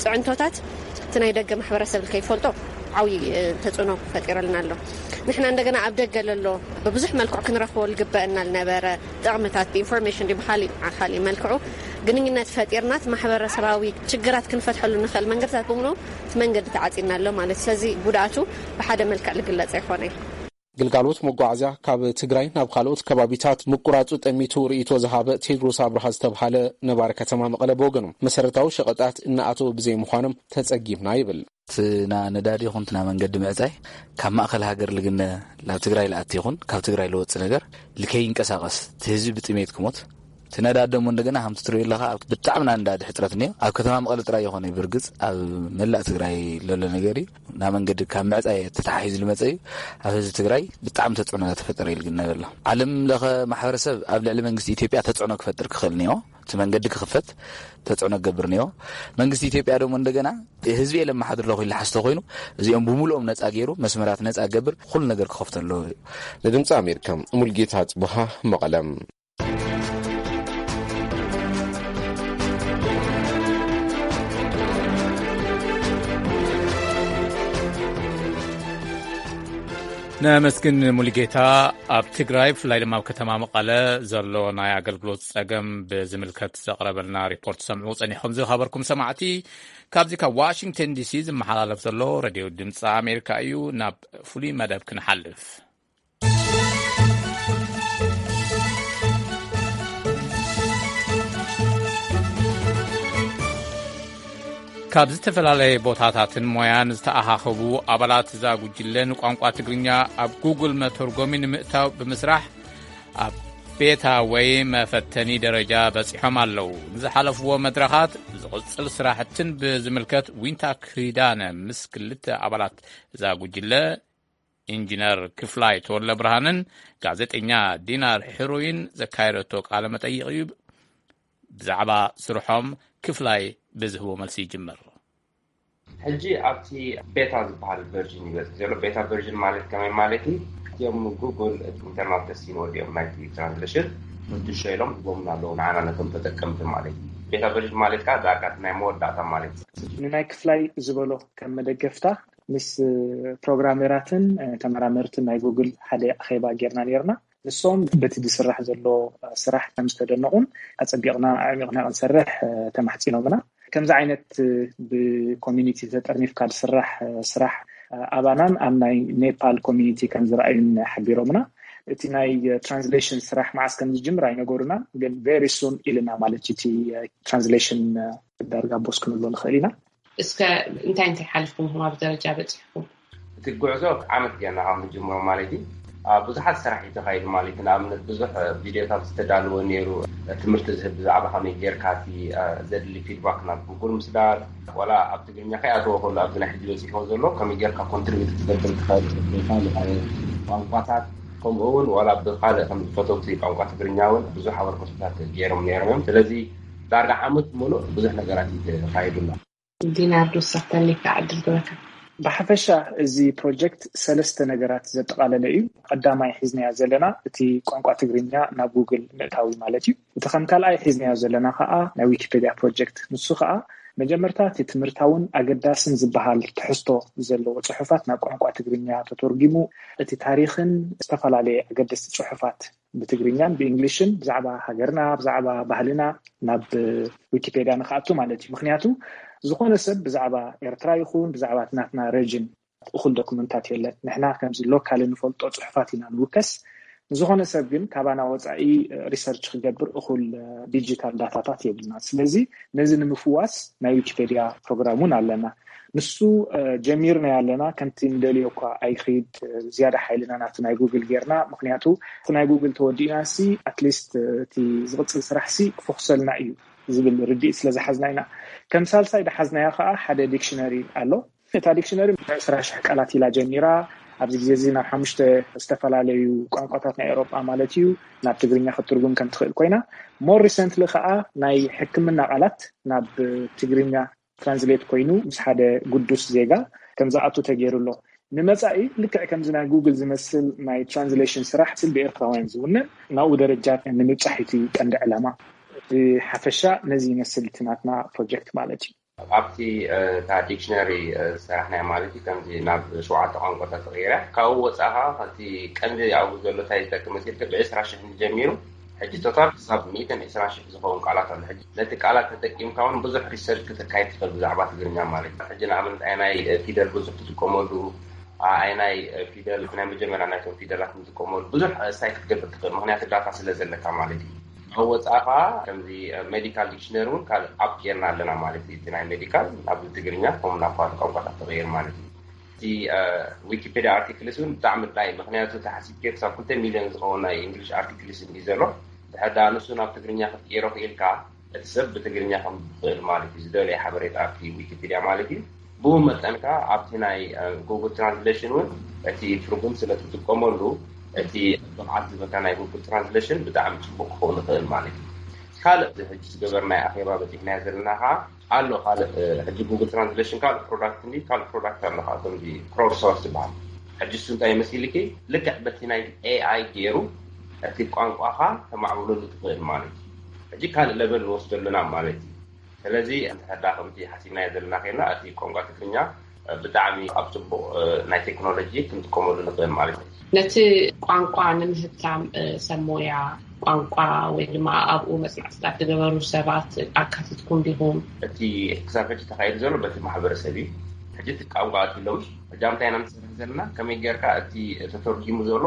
ጽዕንቶታት እቲ ናይ ደገ ማሕበረሰብ ከይፈልጦ ዓብዪ፣ እ፣ ተጽዕኖ ፈጢረልና ኣሎ። ንሕና እንደገና ኣብ ደገ ለሎ ብብዙሕ መልክዑ ክንረኽቦ ዝግበአና ዝነበረ ጥቕምታት ብኢንፎርሜሽን ድዩ ብኻሊእ፣ ዓ-፣ ካሊእ መልክዑ ግንኙነት ፈጢርናት ማሕበረሰባዊ ችግራት ክንፈትሐሉ ንኽእል መንገድታት ብምሉኡ እቲ መንገዲ ተዓጺና ኣሎ ማለት። ስለዚ ጉድኣቱ ብሓደ መልክዕ ዝግለጽ ኣይኮነን። ግልጋሎት መጓዓዝያ ካብ ትግራይ ናብ ካልኦት ከባቢታት ምቁራጹ ጠሚቱ ርእይቶ ዝሃበ ቴድሮስ ኣብርሃ ዝተብሃለ ነባሪ ከተማ መቐለ ብወገኑ፣ መሰረታዊ ሸቐጣት እናኣተወ ብዘይምዃኖም ተጸጊምና ይብል። እቲ ና ነዳዲ ይኹን እቲ ና መንገዲ ምዕጻይ ካብ ማእከል ሃገር ልግነ ናብ ትግራይ ልኣቲ ይኹን ካብ ትግራይ ልወጽእ ነገር ልከይንቀሳቐስ፣ እቲ ህዝቢ ብጥሜት ክሞት፣ እቲ ነዳዲ ደሞ እንደገና ከምቲ ትሪኦ ኣለኻ ኣብ ብጣዕሚ ና ነዳዲ ሕጽረት እኒኦ። ኣብ ከተማ መቐለ ጥራይ ይኾነ ብርግጽ ኣብ መላእ ትግራይ ለሎ ነገር እዩ። ና መንገዲ ካብ ምዕጻይ ተተሓሒዙ ልመጸ እዩ። ኣብ ህዝቢ ትግራይ ብጣዕሚ ተጽዕኖ እናተፈጠረ እዩ ልግነ ዘሎ። ዓለም ለኸ ማሕበረሰብ ኣብ ልዕሊ መንግስቲ ኢትዮጵያ ተጽዕኖ ክፈጥር ክኽእል እኒኦ። እቲ መንገዲ ክኽፈት ተጽዕኖ ክገብር እኒኦ። መንግስቲ ኢትዮጵያ ደሞ እንደገና ህዝቢ እየ ለመሓድር ኣለኹ ኢሉ ሓስቶ ኮይኑ እዚኦም ብምሉኦም ነጻ ገይሩ መስመራት ነጻ ክገብር ኩሉ ነገር ክኸፍቶ ኣለዎ እዩ። ንድምፂ ኣሜሪካ ሙልጌታ ጽቡሃ መቐለም። ነመስግን ሙሉጌታ። ኣብ ትግራይ ብፍላይ ድማ ኣብ ከተማ መቐለ ዘሎ ናይ ኣገልግሎት ጸገም ብዝምልከት ዘቕረበልና ሪፖርት ሰምዑ ጸኒሕኩም ዝኸበርኩም ሰማዕቲ። ካብዚ ካብ ዋሽንግተን ዲሲ ዝመሓላለፍ ዘሎ ሬድዮ ድምፂ ኣሜሪካ እዩ። ናብ ፍሉይ መደብ ክንሓልፍ። ካብ ዝተፈላለየ ቦታታትን ሞያን ዝተኣኻኸቡ ኣባላት እዛ ጉጅለ ንቋንቋ ትግርኛ ኣብ ጉግል መተርጎሚ ንምእታው ብምስራሕ ኣብ ቤታ ወይ መፈተኒ ደረጃ በጺሖም ኣለዉ። ንዝሓለፍዎ መድረኻት ዝቕጽል ስራሕትን ብዝምልከት ዊንታ ክሪዳነ ምስ ክልተ ኣባላት እዛ ጉጅለ ኢንጂነር ክፍላይ ተወለ ብርሃንን ጋዜጠኛ ዲናር ሕሩይን ዘካየደቶ ቃለ መጠይቕ እዩ። ብዛዕባ ስርሖም ክፍላይ ብዝህቦ መልሲ ይጅምር። ሕጂ ኣብቲ ቤታ ዝበሃል ቨርዥን ይበፅሕ ዘሎ። ቤታ ቨርዥን ማለት ከመይ ማለት እዩ? እቲኦም ጉግል ኢንተርናል ተስቲን ወዲኦም ናይቲ ትራንስሌሽን ምድሾ ኢሎም ዝቦምና ኣለዉ ንዓና ነቶም ተጠቀምቲ ማለት እዩ። ቤታ ቨርዥን ማለት ከዓ ዳርጋ ናይ መወዳእታ ማለት እዩ። ንናይ ክፍላይ ዝበሎ ከም መደገፍታ ምስ ፕሮግራሜራትን ተመራመርትን ናይ ጉግል ሓደ ኣኼባ ጌርና ነርና። ንሶም በቲ ዝስራሕ ዘሎ ስራሕ ከም ዝተደነቑን ኣፀቢቕና ኣዕሚቕና ክንሰርሕ ተማሕፂኖምና። ከምዚ ዓይነት ብኮሚኒቲ ተጠርኒፍካ ዝስራሕ ስራሕ ኣባናን ኣብ ናይ ኔፓል ኮሚኒቲ ከም ዝረኣዩን ሓቢሮምና። እቲ ናይ ትራንስሌሽን ስራሕ መዓስ ከም ዝጅምር ኣይነገሩና፣ ግን very soon ኢልና ማለት እዩ። እቲ ትራንስሌሽን ዳርጋ ቦስ ክንብሎ ንኽእል ኢና። እስከ እንታይ እንታይ ሓሊፍኩም ኢኹም ኣብ ደረጃ በፂሕኩም? እቲ ጉዕዞ ዓመት ገና ካብ ንጅምሮ ማለት እዩ። ብዙሓት ስራሕ እዩ ተኻይዱ ማለት እዩ። ንኣብነት ብዙሕ ቪድዮታት ዝተዳለወ ነይሩ፣ ትምህርቲ ዝህብ ብዛዕባ ከመይ ጌርካ እቲ ዘድሊ ፊድባክ ናብ ጉግል ምስዳድ፣ ዋላ ኣብ ትግርኛ ከይኣተወ ከሎ ኣብዚ ናይ ሕጂ በፂሕዎ ዘሎ ከመይ ጌርካ ኮንትሪቢዩት ክትገብር ትኽእል ብካልእ ቋንቋታት፣ ከምኡ እውን ዋላ ብካልእ ከም ፈተውቲ ቋንቋ ትግርኛ እውን ብዙሕ ኣበርክቶታት ገይሮም ነይሮም እዮም። ስለዚ ዳርጋ ዓመት ሙሉእ ብዙሕ ነገራት እዩ ተኻይዱና። ዲናርዶ ሳተሊካ ዕድል ግበካ። ብሓፈሻ እዚ ፕሮጀክት ሰለስተ ነገራት ዘጠቓለለ እዩ። ቀዳማይ ሒዝናዮ ዘለና እቲ ቋንቋ ትግርኛ ናብ ጉግል ምእታዊ ማለት እዩ። እቲ ከም ካልኣይ ሒዝናዮ ዘለና ከዓ ናይ ዊኪፔድያ ፕሮጀክት፣ ንሱ ከዓ መጀመርታ እቲ ትምህርታውን ኣገዳስን ዝበሃል ትሕዝቶ ዘለዎ ፅሑፋት ናብ ቋንቋ ትግርኛ ተተርጉሙ እቲ ታሪኽን ዝተፈላለየ ኣገደስቲ ፅሑፋት ብትግርኛን ብእንግሊሽን ብዛዕባ ሃገርና ብዛዕባ ባህልና ናብ ዊኪፔድያ ንክኣቱ ማለት እዩ። ምክንያቱ ዝኾነ ሰብ ብዛዕባ ኤርትራ ይኹን ብዛዕባ ናትና ረጅን እኹል ዶክመንታት የለን። ንሕና ከምዚ ሎካል እንፈልጦ ፅሑፋት ኢና ንውከስ። ንዝኾነ ሰብ ግን ካባና ወፃኢ ሪሰርች ክገብር እኹል ዲጂታል ዳታታት የብልና። ስለዚ ነዚ ንምፍዋስ ናይ ዊኪፔድያ ፕሮግራም እውን ኣለና። ንሱ ጀሚርና ኣለና። ከምቲ ንደልዮ እኳ ኣይክይድ ዝያዳ ሓይልና ናብቲ ናይ ጉግል ጌርና። ምክንያቱ እቲ ናይ ጉግል ተወዲእና ሲ ኣትሊስት እቲ ዝቕፅል ስራሕ ሲ ክፈኩሰልና እዩ ዝብል ርድኢት ስለ ዝሓዝና ኢና። ከም ሳልሳይ ዝሓዝናዮ ከዓ ሓደ ዲክሽነሪ ኣሎ። እታ ዲክሽነሪ ዕስራ ሽሕ ቃላት ኢላ ጀሚራ። ኣብዚ ግዜ እዚ ናብ ሓሙሽተ ዝተፈላለዩ ቋንቋታት ናይ ኤውሮጳ ማለት እዩ ናብ ትግርኛ ክትትርጉም ከም ትኽእል ኮይና፣ ሞር ሪሰንትሊ ከዓ ናይ ሕክምና ቃላት ናብ ትግርኛ ትራንስሌት ኮይኑ ምስ ሓደ ግዱስ ዜጋ ከም ዝኣቱ ተገይሩ ኣሎ። ንመፃኢ ልክዕ ከምዚ ናይ ጉግል ዝመስል ናይ ትራንስሌሽን ስራሕ ስል ብኤርትራውያን ዝውንን ናብኡ ደረጃ ንምብፃሕ እዩ ቀንዲ ዕላማ። ብሓፈሻ ነዚ ይመስል እቲ ናትና ፕሮጀክት ማለት እዩ። ኣብቲ እታ ዲክሽነሪ ዝሰራሕናዮ ማለት እዩ ከምዚ ናብ ሸውዓተ ቋንቋታት ተቐይራ። ካብኡ ወፃእ ከዓ እቲ ቀንዲ ኣብኡ ዘሎ እንታይ ዝጠቅም መሲልካ ብዕስራ ሽሕ ጀሚሩ ሕጂ ቶታል ክሳብ ሚእትን ዕስራን ሽሕ ዝኸውን ቃላት ኣሎ። ሕጂ ነቲ ቃላት ተጠቂምካ እውን ብዙሕ ሪሰርች ክተካይድ ትኽእል ብዛዕባ ትግርኛ ማለት እዩ። ሕጂ ንኣብነት ኣይናይ ፊደል ብዙሕ ትጥቀመሉ፣ ኣይናይ ፊደል ናይ መጀመርያ ናይቶም ፊደላት ንጥቀመሉ ብዙሕ ሳይ ክትገብር ትኽእል፣ ምክንያቱ ዳታ ስለ ዘለካ ማለት እዩ። ኣብ ወፃኢ ከዓ ከምዚ ሜዲካል ዲክሽነሪ እውን ካልእ ኣፕ ጌርና ኣለና ማለት እዩ። እቲ ናይ ሜዲካል ናብ ትግርኛ ከም ናብ ካልእ ቋንቋታት ተቐይር ማለት እዩ። እቲ ዊኪፔድያ ኣርቲክልስ እውን ብጣዕሚ ድላይ፣ ምክንያቱ ተሓሲብኪ ክሳብ ክልተ ሚልዮን ዝኸውን ናይ እንግሊሽ ኣርቲክልስ እዩ ዘሎ። ድሕር ደኣ ንሱ ናብ ትግርኛ ክትቅይሮ ክኢልካ እቲ ሰብ ብትግርኛ ከም ዝኽእል ማለት እዩ ዝደለየ ሓበሬታ ኣብቲ ዊኪፒድያ ማለት እዩ። ብኡ መጠን ከዓ ኣብቲ ናይ ጉግል ትራንስሌሽን እውን እቲ ትርጉም ስለ ትጥቀመሉ እቲ ብቕዓት ዝበካ ናይ ጉግል ትራንስሌሽን ብጣዕሚ ፅቡቅ ክኸውን ይኽእል ማለት እዩ። ካልእ ሕጂ ዝገበርናይ ኣኼባ በፂሕናዮ ዘለና ከዓ ኣሎ ካልእ ሕጂ ጉግል ትራንስሌሽን ካልእ ፕሮዳክት እንዲ ካልእ ፕሮዳክት ኣሎ ከዓ ከምዚ ክሮድ ሶርስ ዝበሃል። ሕጂ እሱ እንታይ ይመስልኪ ልክዕ በቲ ናይ ኤኣይ ገይሩ እቲ ቋንቋኻ ተማዕብለሉ ትኽእል ማለት እዩ። ሕጂ ካልእ ለቨል ንወስዶ ኣለና ማለት እዩ። ስለዚ እንተሕዳ ከምቲ ሓሲብናዮ ዘለና ከይና እቲ ቋንቋ ትግርኛ ብጣዕሚ ኣብ ፅቡቕ ናይ ቴክኖሎጂ ክንጥቀመሉ ንኽእል ማለት እዩ። ነቲ ቋንቋ ንምህብታም ሰብ ሞያ ቋንቋ ወይ ድማ ኣብኡ መፅናዕትታት ዝገበሩ ሰባት ኣካቲትኩም ዲኹም? እቲ ክሳብ ሕጂ ተኻይዱ ዘሎ በቲ ማሕበረሰብ እዩ። ሕጂ እቲ ቋንቋ ኣትሎም ሕጂ ኣብ እንታይ ኢና ንሰርሕ ዘለና ከመይ ጌርካ እቲ ተተርጊሙ ዘሎ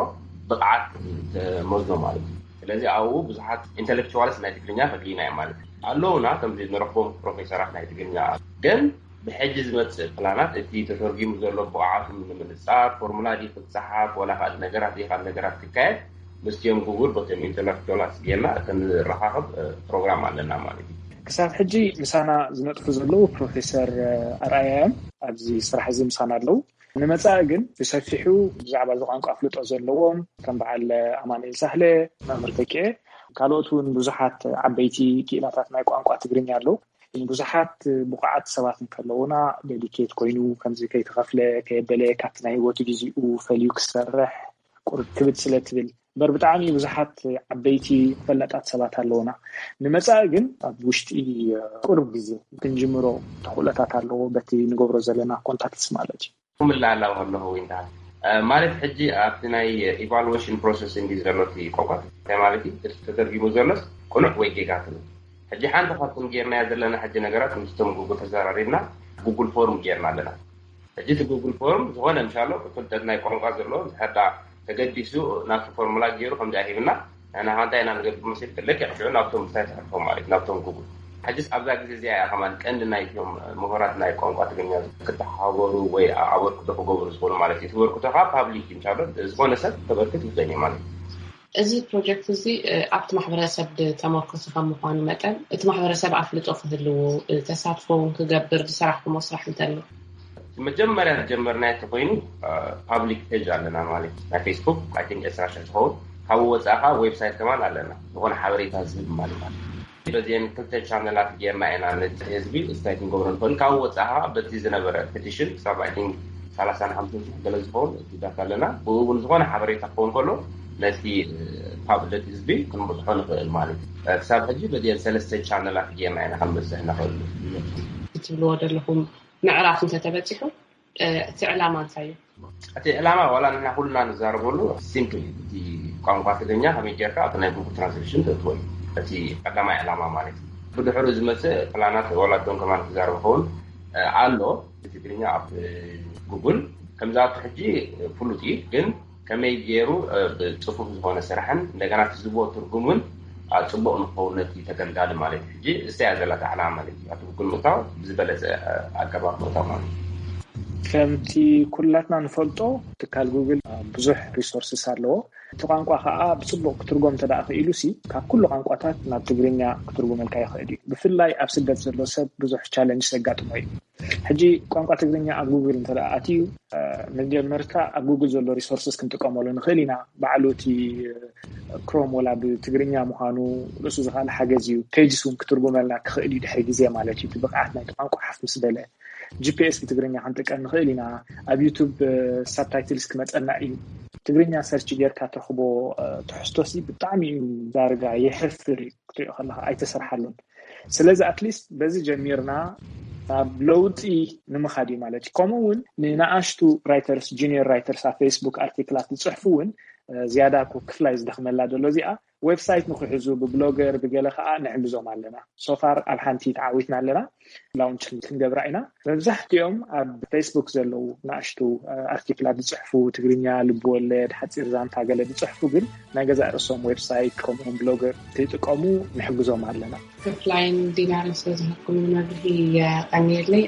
ብቕዓት ተመዝኖ ማለት እዩ። ስለዚ ኣብኡ ብዙሓት ኢንተሌክቹዋልስ ናይ ትግርኛ ፈድሊና እዮም ማለት እዩ ኣለውና ከምዚ ንረኽቦም ፕሮፌሰራት ናይ ትግርኛ ግን ብሕጂ ዝመፅእ ፕላናት እቲ ተተርጊሙ ዘሎ ብቕዓቱ ንምንፃር ፎርሙላ ድዩ ክፀሓፍ ወላ ካልእ ነገራት ድዩ ካልእ ነገራት ክካየድ ምስቲኦም ጉጉል ቦቶም ኢንተሌክቹዋላት ጌርና ክንረኻኸብ ፕሮግራም ኣለና ማለት እዩ። ክሳብ ሕጂ ምሳና ዝነጥፉ ዘለዉ ፕሮፌሰር ኣርኣያ እዮም። ኣብዚ ስራሕ እዚ ምሳና ኣለዉ። ንመጻኢ ግን ብሰፊሑ ብዛዕባ እዚ ቋንቋ ኣፍልጦ ዘለዎም ከም በዓል ኣማኑኤል ሳህለ፣ መምህር ተኪኤ፣ ካልኦት እውን ብዙሓት ዓበይቲ ክኢላታት ናይ ቋንቋ ትግርኛ ኣለዉ። ብዙሓት ብቑዓት ሰባት እንከለዉና፣ ዴዲኬት ኮይኑ ከምዚ ከይተኸፍለ ከየበለ ካብቲ ናይ ህይወቱ ግዜኡ ፈልዩ ክሰርሕ ቁርብ ክብድ ስለ ትብል እምበር ብጣዕሚ ብዙሓት ዓበይቲ ፈላጣት ሰባት ኣለዉና። ንመጻኢ ግን ኣብ ውሽጢ ቁርብ ግዜ ክንጅምሮ ተኽእሎታት ኣለዎ፣ በቲ ንገብሮ ዘለና ኮንታክትስ ማለት እዩ። ክምልላላው ከለኹ ዊንታ ማለት ሕጂ ኣብቲ ናይ ኢቫሉዌሽን ፕሮሰስ እንዲ ዘሎ እቲ ቆቋት እንታይ ማለት እዩ? እቲ ተተርጊሙ ዘሎስ ቅኑዕ ወይ ጌጋ ትብል? ሕጂ ሓንቲ ካብቶም ጌርናያ ዘለና ሕጂ ነገራት ምስቶም ጉጉል ተዘራሪብና ጉጉል ፎርም ጌርና ኣለና። ሕጂ እቲ ጉጉል ፎርም ዝኾነ ምሻሎ ፍልጠት ናይ ቋንቋ ዘለዎ ዝሕዳ ተገዲሱ ናብቲ ፎርሙላ ገይሩ ከምዚ ኣሂብና ንሕና ከ እንታይ ኢና ንገብር መሲል ለኪ ሽዑ ናብቶም ምሳይ ተሕልፎም ማለት ናብቶም ጉጉል። ሕጅስ ኣብዛ ግዜ እዚኣ እያ ከማን ቀንዲ ናይቶም ምሁራት ናይ ቋንቋ ትግርኛ ክተሓባበሩ ወይ ኣበርክቶ ክገብሩ ዝኽእሉ ማለት እዩ። እቲ በርክቶ ከዓ ፓብሊክ እዩ። ምሻሎ ዝኾነ ሰብ ተበርክት ይኽእል እዩ ማለት እዩ። እዚ ፕሮጀክት እዚ ኣብቲ ማሕበረሰብ ዝተመርኮሰ ከም ምኳኑ መጠን እቲ ማሕበረሰብ ኣፍልጦ ክህልዎ ተሳትፎ እውን ክገብር ዝሰራሕኩሞ ስራሕ እንተሎ? መጀመርያ ዝጀመርናዮ እንተኮይኑ ፓብሊክ ፔጅ ኣለና ማለት ናይ ፌስቡክ I think ዕስራ ሽሕ ዝኸውን ካብኡ ወፃኢ ከዓ ዌብሳይት ከማን ኣለና ዝኾነ ሓበሬታ ዝህብ ማለት ማለት በዚአን ክልተ ቻነላት ጌርና ኢና ነቲ ህዝቢ እንታይ ክንገብሮ ንኽእል ካብኡ ወፃኢ ከዓ በቲ ዝነበረ ፔቲሽን ክሳብ I think ሰላሳን ሓምሳን ሽሕ ገለ ዝኸውን እቲ ዳታ ኣለና ብኡ እውን ዝኾነ ሓበሬታ ክኸውን ከሎ ነቲ ፓብሊክ ህዝቢ ክንብፅሖ ንኽእል ማለት እዩ ክሳብ ሕጂ በዚአን ሰለስተ ቻነላት ጌርና ኢና ክንበፅሕ ንኽእል ትብልዎ ዘለኹም ምዕራፍ እንተተበፂሑ እቲ ዕላማ እንታይ እዩ? እቲ ዕላማ ዋላ ንሕና ኩልና ንዛረበሉ ሲምፕል እዩ። እቲ ቋንቋ ትግርኛ ከመይ ጌርካ ኣብቲ ናይ ጉጉል ትራንስሌሽን ተእትዎ እዩ እቲ ቀዳማይ ዕላማ ማለት እዩ። ብድሕሩ ዝመፅእ ፕላናት ዋላ ዶን ከማን ክዛረብ ኸውን ኣሎ። እቲ ትግርኛ ኣብ ጉጉል ከምዚ ኣብቲ ሕጂ ፍሉጥ እዩ ግን ከመይ ገይሩ ብፅፉፍ ዝኾነ ስራሕን እንደገና እቲ ዝቦ ትርጉም እውን ፅቡቕ ንክኸውን ነቲ ተገልጋሊ ማለት እዩ። ሕጂ እሳ እያ ዘላታ ዕላማ ማለት እዩ። ኣብቲ ጉግል ምእታው ብዝበለፀ ኣገባብ ምእታው ማለት እዩ። ከምቲ ኩላትና ንፈልጦ ትካል ጉግል ብዙሕ ሪሶርስስ ኣለዎ። እቲ ቋንቋ ከዓ ብፅቡቕ ክትርጎም እንተ ክኢሉ ሲ ካብ ኩሉ ቋንቋታት ናብ ትግርኛ ክትርጉመልካ ይኽእል እዩ። ብፍላይ ኣብ ስደት ዘሎ ሰብ ብዙሕ ቻለንጅ ዘጋጥሞ እዩ። ሕጂ ቋንቋ ትግርኛ ኣብ ጉግል እንተ ኣትዩ መጀመርታ ኣብ ጉግል ዘሎ ሪሶርስስ ክንጥቀመሉ ንኽእል ኢና። ባዕሉ እቲ ክሮም ወላ ብትግርኛ ምዃኑ ርእሱ ዝኽኣለ ሓገዝ እዩ። ፔጅስ እውን ክትርጉመልና ክኽእል እዩ ድሕሪ ግዜ ማለት እዩ። እቲ ብቕዓት ናይቲ ቋንቋ ሓፍ ምስ በለ ጂፒኤስ ብትግርኛ ክንጥቀም ንኽእል ኢና። ኣብ ዩቱብ ሳብታይትልስ ክመፀና እዩ። ትግርኛ ሰርች ጌርካ ትረኽቦ ትሕዝቶሲ ብጣዕሚ እዩ ዳርጋ የሕፍር እዩ። ክትሪኦ ከለካ ኣይተሰርሓሉን። ስለዚ ኣትሊስት በዚ ጀሚርና ናብ ለውጢ ንምኻድ እዩ ማለት እዩ። ከምኡ እውን ንንኣሽቱ ራይተርስ ጁኒየር ራይተርስ ኣብ ፌስቡክ ኣርቲክላት ዝፅሕፉ እውን ዝያዳ እኮ ክፍላይ ዝደኽመላ ዘሎ እዚኣ ዌብሳይት ንክሕዙ ብብሎገር ብገለ ከዓ ንሕግዞም ኣለና። ሶፋር ኣብ ሓንቲ ተዓዊትና ኣለና። ላውንች ክንገብራ ኢና። መብዛሕትኦም ኣብ ፌስቡክ ዘለዉ ንኣሽቱ ኣርቲክላት ዝፅሕፉ ትግርኛ ልብወለድ ሓፂር ዛንታ ገለ ዝፅሕፉ ግን ናይ ገዛእ ርእሶም ዌብሳይት ከምኡውን ብሎገር ከይጥቀሙ ንሕግዞም ኣለና። ክፍላይን ዲናርን ስለዝሃብኩም መብርሂ የቐንየለይ።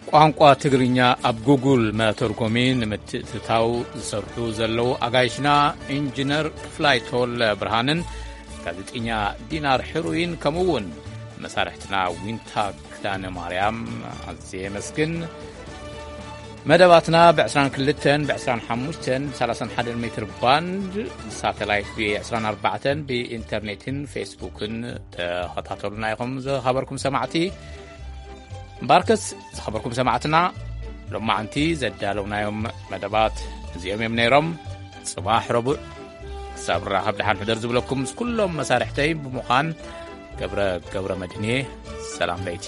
ቋንቋ ትግርኛ ኣብ ጉጉል መተርጎሚ ንምትእትታው ዝሰርሑ ዘለዉ ኣጋይሽና ኢንጂነር ክፍላይ ተወለ ብርሃንን ጋዜጠኛ ዲናር ሕሩይን ከምኡ እውን መሳርሕትና ዊንታ ክዳነ ማርያም ኣዝየ የመስግን። መደባትና ብ22 ብ25 ብ31 ሜትር ባንድ ሳተላይት ብ24 ብኢንተርኔትን ፌስቡክን ተኸታተሉና ኢኹም። ዝኸበርኩም ሰማዕቲ ባርከስ ዝኸበርኩም ሰማዕትና ሎማዓንቲ ዘዳለውናዮም መደባት እዚኦም እዮም ነይሮም። ጽባሕ ረቡዕ ክሳብ ራኸብ ደሓን ሕደር ዝብለኩም ምስ ኩሎም መሳርሕተይ ብምዃን ገብረ ገብረ መድህንየ ሰላም ለይቲ።